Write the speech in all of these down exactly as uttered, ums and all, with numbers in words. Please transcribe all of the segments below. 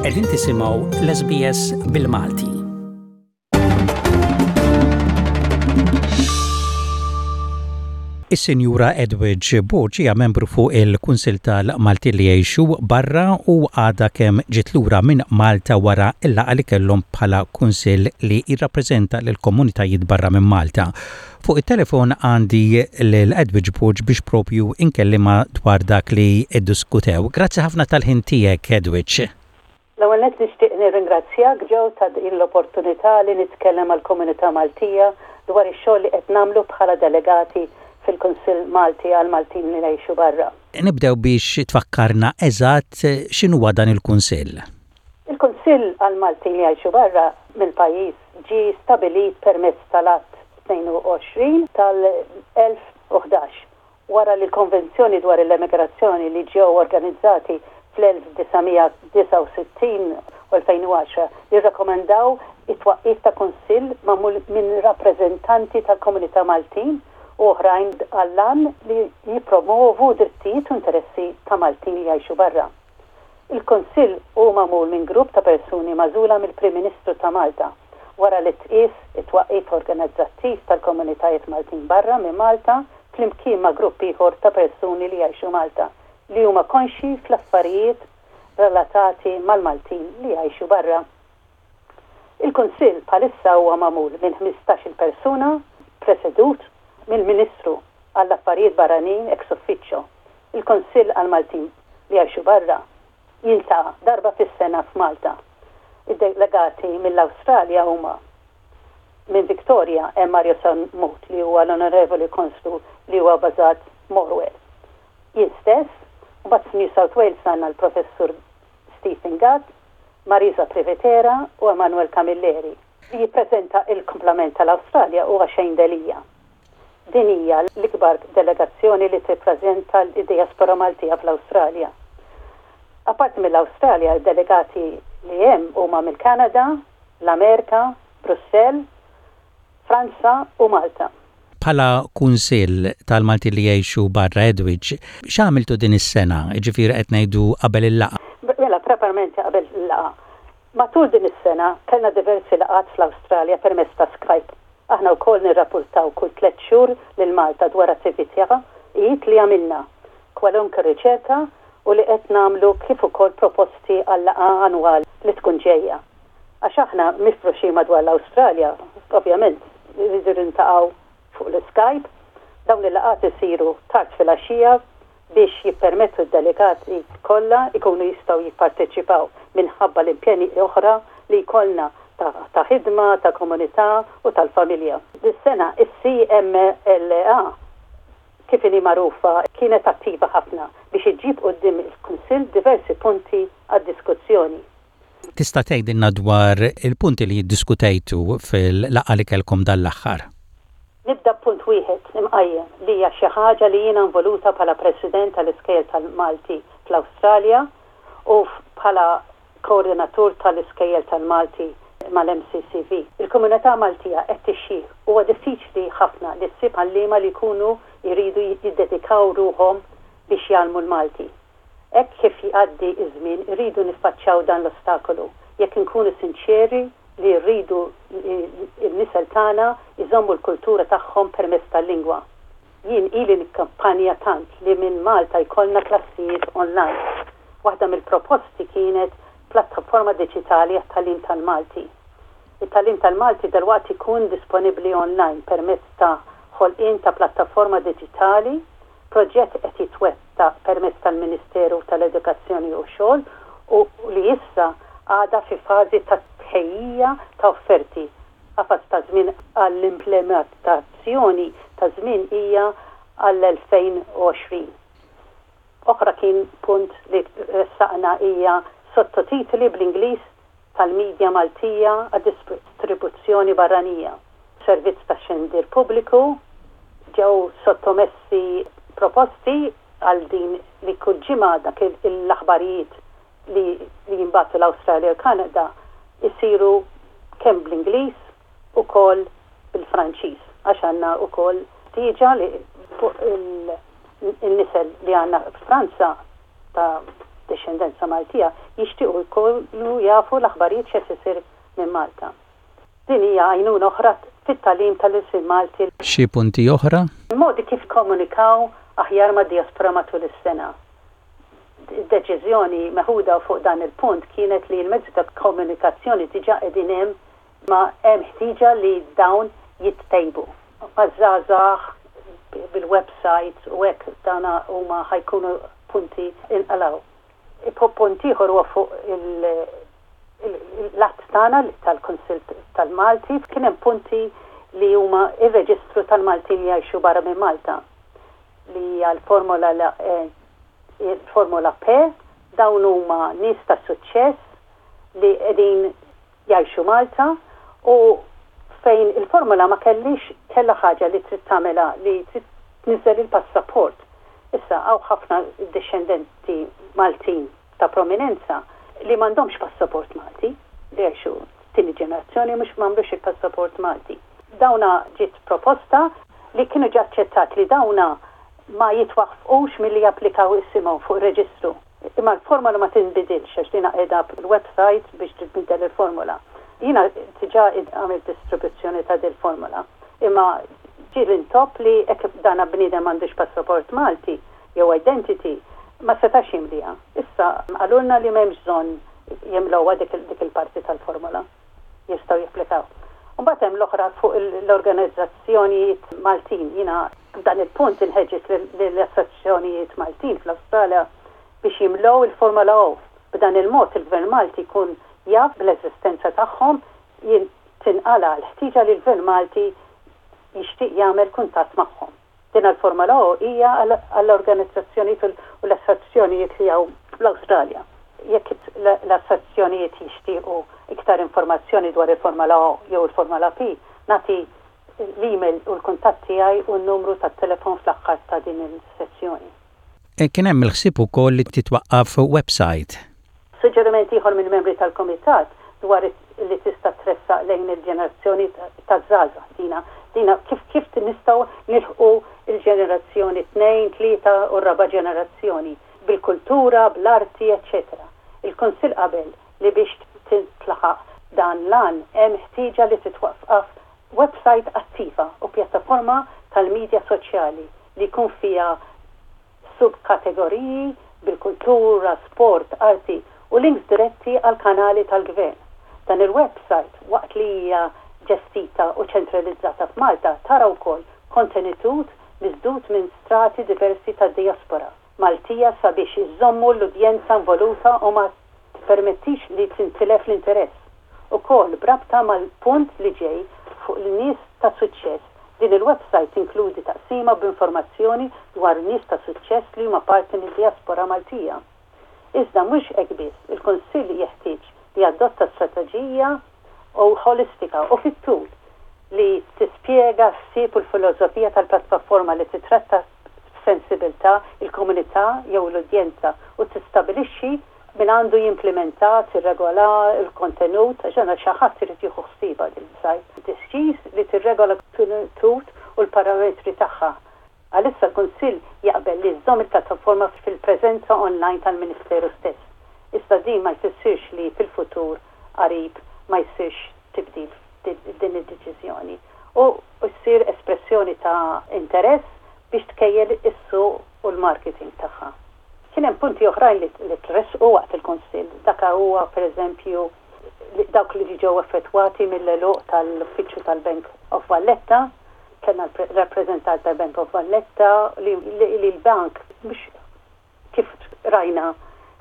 Qegħdin tisimgħu l-S B S bil-Malti. Is-Sinjura Edwidge Borg hija membru fuq il-Kunsil tal-Malti li jgħixu barra u għadha kemm ġiet lura minn Malta wara il-laqgħa li kellhom bħala kunsil li jirrappreżenta lill-komunitajiet barra minn Malta. Fuq it-telefon għandi lil Edwidge Borg biex propju inkellimha dwar dak li iddiskutew. Grazzi ħafna tal-ħin tiegħek, Edwidge. L-ewwel nett nixtieq nirringrazzjak, Joe, ta' din l-opportunità li nitkellem għall-komunità Maltija dwar ix-xogħol li qed nagħmlu bħala delegati fil-Kunsill Malti għal Maltin li jgħixu barra. Nibdew biex tfakkarna eżatt x'inhuwa dan il-Kunsill. Il-Kunsill għal Maltin li jgħixu barra mill-pajjiż ġie stabilit permezz tal-Att tnejn u għoxrin tal-elfejn u ħdax wara li l-Konvenzjoni dwar l-Emigrazzjoni li ġew organizzati fl-elf disa' mija disgħa u sittin u elfejn u għaxra li rrakkomandaw it-twaqqif ta' kunsill magħmul minn rappreżentanti tal-komunità Maltin u oħrajn għall-għan li jipromovu drittijiet u interessi ta' Maltin li jgħixu barra. Il-Kunsill hu magħmul minn grupp ta' persuni magħżula mill-Prim Ministru ta' Malta wara li tqis it-twaqqif organizzattiv tal-komunitajiet Maltin barra minn Malta flimkien ma' grupp ieħor ta' persuni li jgħixu Malta li huma konxi fl-affarijiet relatati mal-Maltin li jgħixu barra. Il-Kunsill bħalissa huwa magħmul minn ħmistax-il persuna, presedut mill-Ministru għall-Affarijiet Barranin ex officio. Il-Kunsill għal-Maltin li jgħixu barra jiltaqa' darba fis-sena f'Malta. Id-delegati mill-Awstralja huma: minn Victoria hemm Mario Sammut, li huwa l-Onorevoli Konslu li huwa bażat Morwell. Jien stess, u mbagħad New South Wales għandna l-Professur Stephen Gatt, Marisa Privitera u Emanuel Camilleri. Li jippreżenta il-komplement tal-Awstralja huwa Shane Delia. Din hija l-ikbar delegazzjoni li tippreżenta l-diaspora Maltija fl-Awstralja. Apparti mill-Awstralja, delegati li hemm huma mill-Kanada, l-Amerika, Brussell, Franza u Malta. Bħala Kunsill tal-Malti li jgħixu barra, Edwidge, x'għamiltu din is-sena? Ġifieri qed ngħidu qabel il-laqgħa. Mela, preparament qabel il-laqgħa. Matul din is-sena kellna diversi laqgħat fl-Awstralja permezz ta' Skype. Aħna wkoll nirrapportaw kull tliet xhur lil Malta dwar attivitajiet li għamilna, kwalunkwe riċerka u li qed nagħmlu, kif ukoll proposti għal laqgħa annwali li tkun ġejja. Għax aħna mifruxin madwar l-Awstralja, ovvjament, rridu niltaqgħu fuq l-Skype. Dawn il-laqgħat isiru tard fil-għaxija biex jippermettu d-delegati kollha ikunu jistgħu jipparteċipaw minħabba l-impjeni oħra li jkollna ta' ħidma, ta' komunità u tal-familja. Dis-sena is-C M L A, kif inhi magħrufa, kienet attiva ħafna biex iġġib quddiem il-Kunsill diversi punti għad-diskussjoni. Tista' tgħidilna dwar il-punti li ddiskutejtu fil-laqgħa li kellkom dan l-aħħar? Nibda punt wieħed imqajjem li hija xi ħaġa li jiena involuta bħala President tal-Iskejjel tal-Malti fl-Awstralja u bħala koordinatur tal-Iskejjel tal-Malti mal-M C C V. Il-komunità Maltija qed tixjih. Huwa diffiċli ħafna li ssib għalliema li jkunu jridu jiddedikaw ruħhom biex jgħallmu l-Malti. Hekk kif jgħaddi iż-żmien irridu niffaċċjaw dan l-ostakolu jekk inkunu sinċeri li rridu il-nisel tagħna iżommu l-kultura tagħhom permezz tal-lingwa. Jien ili nikkampanja tant li minn Malta jkollna klassijiet online. Waħda mill-proposti kienet plattaforma diġitali għat-tagħlim tal-Malti. It-tagħlim tal-Malti dalwaqt ikun disponibbli online permezz ta' ħolqien ta' plattaforma diġitali, proġett qed jitwettaq permezz tal-Ministeru tal-Edukazzjoni u Xogħol u li issa għada fi fażi ta' tħejjija ta' offerti. Qafas ta' żmien għall-implementazzjoni ta' żmien hija għall-elfejn u għoxrin. Oħra kien punt li ressaqna hija sottotitoli bl-Ingliż tal-medja Maltija għad-distribuzzjoni barranija. Servizz ta' xandir pubbliku, ġew sottomessi proposti għal din li kull ġimgħa dak l-aħbarijiet li, li jinbagħtu l-Awstralja u Kanada isiru kemm bl-Ingliż ukoll bil-Franċiż, għax għandna ukoll ħtieġa li fuq il-nisel li għandna Franza ta' dixxendenza Maltija jixtiequ jkunu jafu l-aħbarijiet x'qed isir minn Malta. Din hija għajnuna oħra fit-tagħlim tal-ilsien Malti. Xi punti oħra? Modi kif komunikaw aħjar ma' diaspora matul is-sena. Id-deċiżjoni meħuda fuq dan il-punt kienet li l-mezzi ta' komunikazzjoni diġà qegħdin hemm ma hemm ħtieġa li dawn jittejbu. Maż-żgħażagħ bil-websites u hekk dana huma ħa jkunu punti inqalaw. Punt ieħor huwa fuq l-att tagħna tal-Kunsill tal-Malti kien hemm punti li huma ir-reġistru tal-Maltin li jgħixu barra minn Malta li hija l-formola il-formola P dawn huma nies ta' suċċess li qegħdin jgħixu Malta u fejn il-formola ma kellix kella ħaġa li trid tagħmilha li trid tniżżel il-passaport. Issa hawn ħafna dixxendenti Maltin ta' prominenza li m'għandhomx passaport Malti, li jgħixu tieni ġenerazzjoni mhux m'għandux il-passaport Malti. Dawna ġiet proposta li kienu ġa aċċettat li dawna ma jitwaqqfux milli japplikaw isimhom fuq reġistru. Imma l-formola ma tinbidilx għax dina qiegħda l-website biex tibdel il-formola. Jiena diġà għamilt distribuzzjoni ta' dil formola. Imma ġie l-intop li hekk dana bniedem m'għandux passaport Malti jew identity ma setax jimliha. Issa qalulna li m'hemmx bżonn jimlowha dik il-parti tal-formola. Jistgħu japplikaw. Mbagħad hemm l-oħra fuq l-organizzazzjonijiet Maltin. Jiena f'dan il-punt inħeġġeġ l-assoċjazzjonijiet Maltin fl-Awstralja biex jimlew il-Formola O. B'dan il-mod il-Gvern Malti jkun jaf bl-eżistenza tagħhom tinqala l-ħtieġa li l-Gvern Malti jixtieq jagħmel kuntatt magħhom. Din il-Formola O hija għall-organizzazzjonijiet u l-assoċjazzjonijiet li hawn fl-Awstralja. Jekk l-assoċjazzjonijiet jixtiequ iktar informazzjoni dwar il-Formola O jew il-Formola P, nagħti l-email u l-kuntatt tiegħi u n-numru tat-telefon fl-aħħar ta' din il-sessjoni. E kien hemm il-ħsieb ukoll li titwaqqaf website. Suġġeriment ieħor minn membri tal-Kumitat dwar li tista' tressaq lejn il-ġenerazzjoni taż-żgħażagħ dina dina kif kif nistgħu nilħqu il-ġenerazzjoni tnejn, tlieta u raba' ġenerazzjoni bil-kultura, bl-arti, eċċetera. Il-Kunsill qabel li biex tintlaħaq dan l-għan hemm ħtieġa li titwaqqaf website attiva u pjattaforma tal-medja soċjali li jkun fiha subkategoriji bil-kultura, sport, arti u links diretti għal kanali tal-gvern. Dan il-website waqt li hija ġestita u ċentralizzata f'Malta tara wkoll kontenitut miżdud minn strati diversi ta' diaspora Maltija sabiex iżommu l-udjenza involuta u ma permettix li tintilef l-interess. Ukoll b'rabta mal-punt li ġej fuq l-nies ta' suċċess, din il-website tinkludi taqsima b'informazzjoni dwar nies ta' suċċess li huma parti mid-diaspora Maltija. Iżda mhux hekk biss, il-Kunsill jeħtieġ li adotta strateġija u holistika u fit-tul li tispjega s-sib u l-filosofija tal-pjattaforma li titratta b'sensibilità il-komunità jew l-udjenza u tistabilixxi min għandu jimplementa, tirregola il-kontenut, għax għandna xi ħadd irid jieħu ħsiebha din site. Deċiż li tirregola kontenut u l-parametri tagħha. Għalissa l-Kunsill jaqbel li żżomm il-pjattaforma fil-preżenza online tal-Ministeru stess. Issa din ma jfissirx li fil-futur qarib ma jsirx tibdil din id-deċiżjoni. U jsir espressjoni ta' interess biex tkejjel is-suq u l-marketing tagħha. Kien hemm punti oħrajn li, li tressqu waqt il-Kunsill. Dak huwa pereżempju dawk li ġew effettwati mill-għeluq tal-uffiċċju tal-Bank of Valletta, kellna rappreżentant tal-Bank of Valletta li, li, li l-bank mhux kif rajna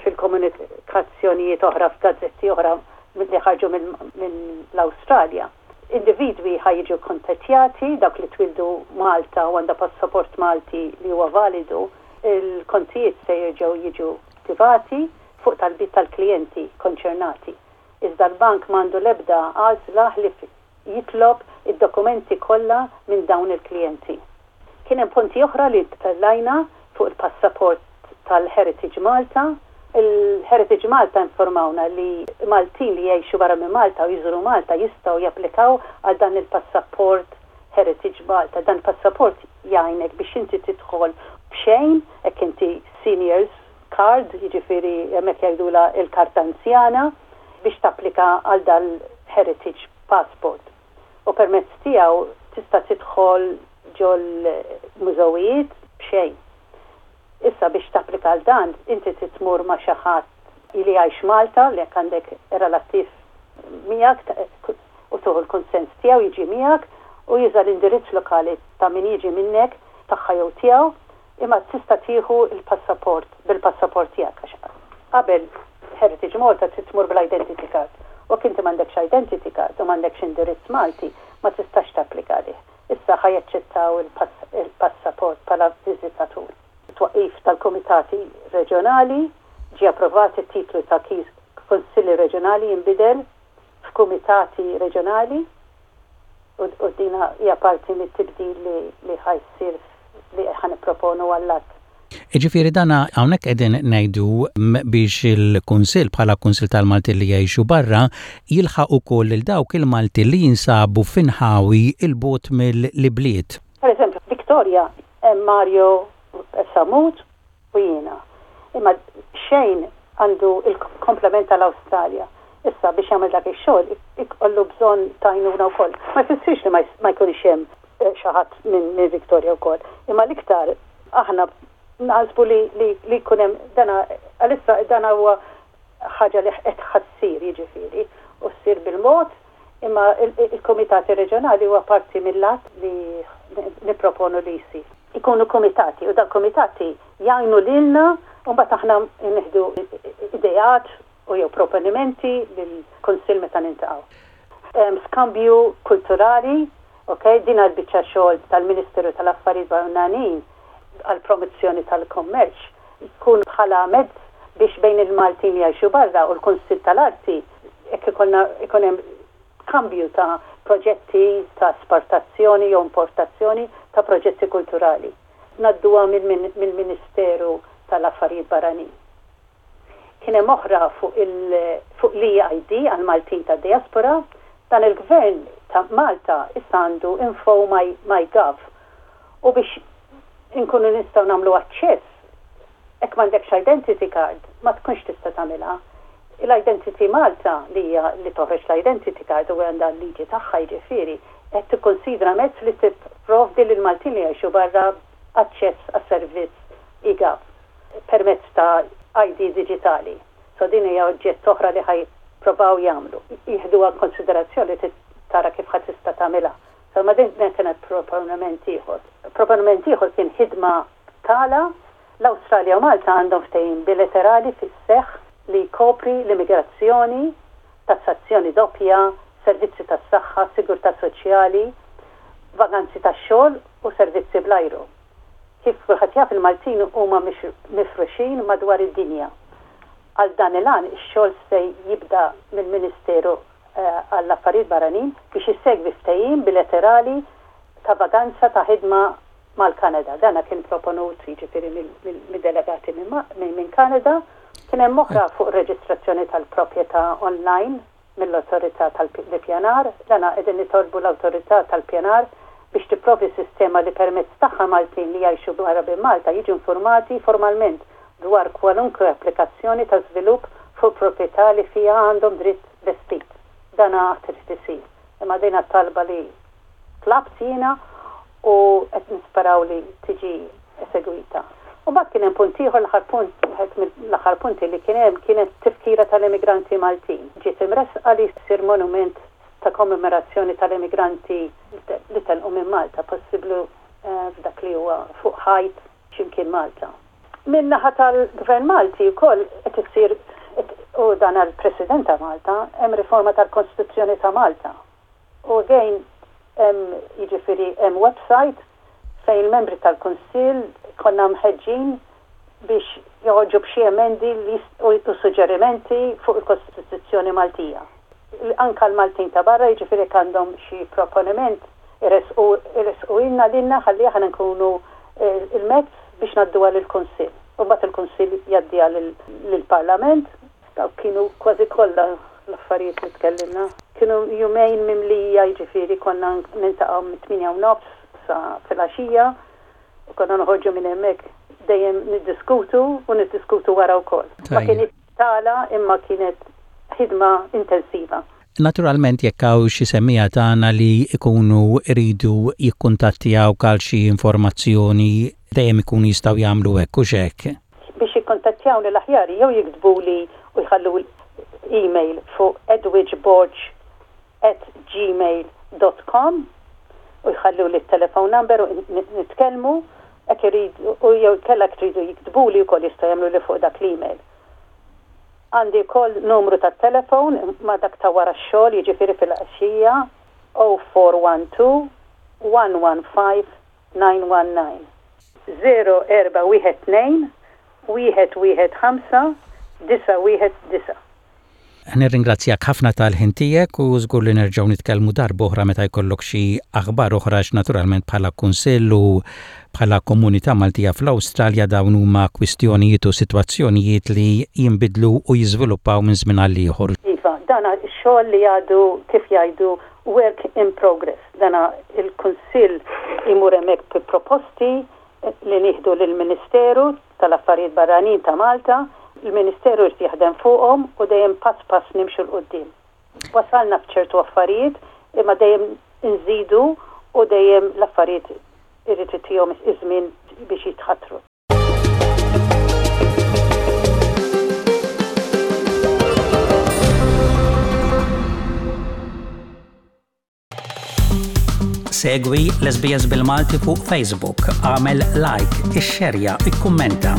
fil-komunikazzjonijiet oħra f'gazzetti oħra li ħarġu mill-Awstralja. Individwi ħa jiġu kontattjati, dawk li twildu Malta u għandha passaport Malti li huwa validu, il-kontijiet se jerġgħu jiġu attivati fuq talbiet tal-klijenti konċernati. Iżda l-bank m'għandu l-ebda għażla li jitlob id-dokumenti kollha minn dawn il-klijenti. Kien hemm punti oħra li tellajna fuq il-passaport tal-Heritage Malta. Il-Heritage Malta informawna li Maltin li jgħixu barra minn Malta u jżuru Malta jistgħu japplikaw għal dan il-passaport Heritage Malta. Dan il-passaport jgħinek biex inti tidħol b'xejn, hekk inti seniors card, jiġifieri hemmhekk jgħidula il-karta anzjana, biex tapplika għal dal-Heritage Passport. U permezz tiegħu tista' tidħol ġol mużewijiet b'xejn. Issa biex tapplika għal dan, inti tmur ma' xi ħadd li jgħix Malta, li jekk għandek relattiv miegħek u tieħu l-konsens tiegħu jiġi miegħek u juża l-indirizz lokali ta' min jiġi minnek tagħha jew tiegħu, imma tista' tieħu il-passaport bil-passaport tiegħek għax qabel Heritage Malta trid tmur bl-identity card. U inti m'għandekx identity card u m'għandekx indirizz Malti, ma tistax tapplika għalih. Issa ħa jaċċettaw il-passaport bħala viżitatur. Twaqif tal-komitati reġjonali ġie approvat it-titlu ta' kif konsilli reġjonali jinbidel f'kumitati reġjonali u, u dina hija parti mit-tibdil li, li ħa jsir li ħa nipproponu għall-att. Ġifieri dana hawnhekk qegħdin ngħidu biex il-Kunsill bħala Kunsill tal-Malti li jgħixu barra jilħaq ukoll lil dawk il-Malti li jinsabu f'inħawi 'l bogħod mill-bliet. Per eżempju, Victoria hemm Mario Samut u jiena. Imma Shane għandu il-komplement tal-Awstralja. Issa biex jagħmel dak ix-xogħol ikollu bżonn ta' għajnuna wkoll. Ma jfissirx li ma jkunx hemm eh, xi ħadd minn min Victoria wkoll. Imma l-iktar aħna naħsbu li li li jkun hemm dana għalissa dana huwa ħaġa li qed ħa ssir jiġifieri u ssir bil-mod imma il-komitati reġjonali huwa parti mill-att li nipproponu li jsir. Ikunu komitati u dal-komitati jgħinu lilna u mbagħad aħna nieħdu ideat u jew proponimenti lill-Kunsill meta niltaqgħu. Skambju kulturali, ok, din għal-biċċa xogħol tal-Ministeru tal-Affarijiet Barranin għal-promozzjoni tal-kommerċ jkun bħala mezz biex bejn il-Maltin li jgħixu barra u l-Kunsill tal-Arti jekk ikun hemm kambju ta' proġetti ta' esportazzjoni jew importazzjoni ta' proġetti kulturali. Ngħadduha mill-Ministeru tal-Affarijiet Barranin. Kien hemm oħra fuq l-EID għal Maltin ta' diaspora, dan il-gvern ta' Malta issa għandu info my, my gov u biex inkunu nistgħu nagħmlu aċċess jekk m'għandekx identity card ma tkunx tista' tagħmilha. L-Identity Malta li hija li toħroġ l-identity card u għandha l-liġi tagħha jiġifieri qed tikkonsidra mezz li tipprovdi lil Maltin li jgħixu barra aċċess għas-servizz e-gov permezz ta' ID digitali. So din hija oġġett oħra li ħa jippruvaw jagħmlu. Jieħduha konsiderazzjoni tara kif ħadd tista' tagħmilha. So ma din kienet proponiment ieħor. Proponiment ieħor kien ħidma tala l-Awstralja u Malta għandhom ftehim bilaterali fis-seħħ li jkopri l-immigrazzjoni, tassazzjoni doppja, servizzi tas-saħħa, sigurtà soċjali, vaganzi tax-xogħol u servizzi bl-ajru. Kif kulħadd jaf il-Maltin huma mifruxin madwar id-dinja. Għal dan il-għan ix-xogħol se jibda mill-Ministeru eh, għall-Affarijiet Barranin biex issegwi ftehim bilaterali ta' vaganza ta' ħidma mal-Kanada. Dana kien proponut jiġifieri mid-delegati minn Kanada. Kien hemm oħra fuq reġistrazzjoni tal-proprjetà online mill-Awtorità tal-Pjanar. Dana qegħdin nitolbu l-Awtorità tal-Pjanar biex tipprovdi sistema li permezz tagħha Maltin li jgħixu barra minn Malta jiġu informati formalment dwar kwalunkwe applikazzjoni ta' żvilupp fuq proprjetà li fiha għandhom dritt vestit. Dana trid isir. Imma dina talba li tlabt jiena u qed nisperaw li tiġi esegwita. U mbagħad kien hemm punt ieħor l-aħħar punt wieħed mill-aħħar punti li kien hemm kienet tifkira tal-immigranti Maltin. Ġiet imresqa li jsir monument ta' kommemorazzjoni tal-immigranti li telqu minn Malta, possibbli eh, f'dak li huwa fuq ħajt x'imkien Malta. Min naħa tal-Gvern Malti wkoll qed issir u dan għall-President ta' Malta hemm riforma tal-Kostituzzjoni ta' Malta. U again hemm jiġifieri hemm website fejn il-membri tal-Kunsill konna mħeġġin biex joħorġu b'xi emendi u suġġerimenti fuq il-Kostituzzjoni Maltija. Anka l-Maltin ta' barra jiġifieri għandhom xi proponiment iressqu ilna lilna ħalli aħna nkunu eh, il-mezz biex ngħadduha lill-Kunsill. U mbagħad il-Kunsill jgħaddiha lill-Parlament. Dawk kienu kważi kollha l-affarijiet li tkellimna. Kienu jumejn mimlija jiġifieri konna niltaqgħu mit-tmienja u nofs sa filgħaxija u konna noħorġu minn hemmhekk dejjem niddiskutu u niddiskutu wara wkoll. Ma kienet tala imma kienet ħidma intensiva. Naturalment, jekk hawn xi semmiegħa tagħna li jkunu jridu jikkuntattjaw għal xi informazzjoni, dejjem ikunu jistgħu jagħmlu hekk, u hekk? Biex jikkuntattjawni l-aħjar jew jiktbuli u jħallu email fuq edwidgeborg at gmail dot com u jħallu li telefon number u nitkellmu hekk iridu, u jew kellha tridu jiktbuli wkoll jistgħu jagħmlu li fuq dak l-email. Għandi wkoll numru ta' telefon ma' dak ta' wara x-xogħol, jiġifieri fil-għaxija, zero four one two one one five nine one nine. zero erba' wieħed tnejn wieħed wieħed ħamsa disa' wieħed disa'. Nirringrazzjak ħafna tal-ħin tiegħek u żgur li nerġgħu nitkellmu darba oħra meta jkollok xi aħbar oħra, naturalment bħala kunsill u bħala komunità Maltija fl-Awstralja dawn huma kwistjonijiet u sitwazzjonijiet li jinbidlu u jiżviluppaw minn żmien għal ieħor. Iva, dana xogħol li għadu, kif jgħidu, work in progress. Dana il-kunsill imur hemmhekk bi proposti li nieħdu lill-Ministeru tal-Affarijiet Barranin ta' Malta, il-Ministeru jrid jaħdem fuqhom u dejjem pass pass nimxu 'l quddiem. Wasalna f'ċertu affarijiet, imma dejjem nżidu u dejjem l-affarijiet irid itihom iż-żmien biex jitħattru. Segwi l-S B S bil-Malti fuq Facebook, għamel like, ixxerja, ikkummenta.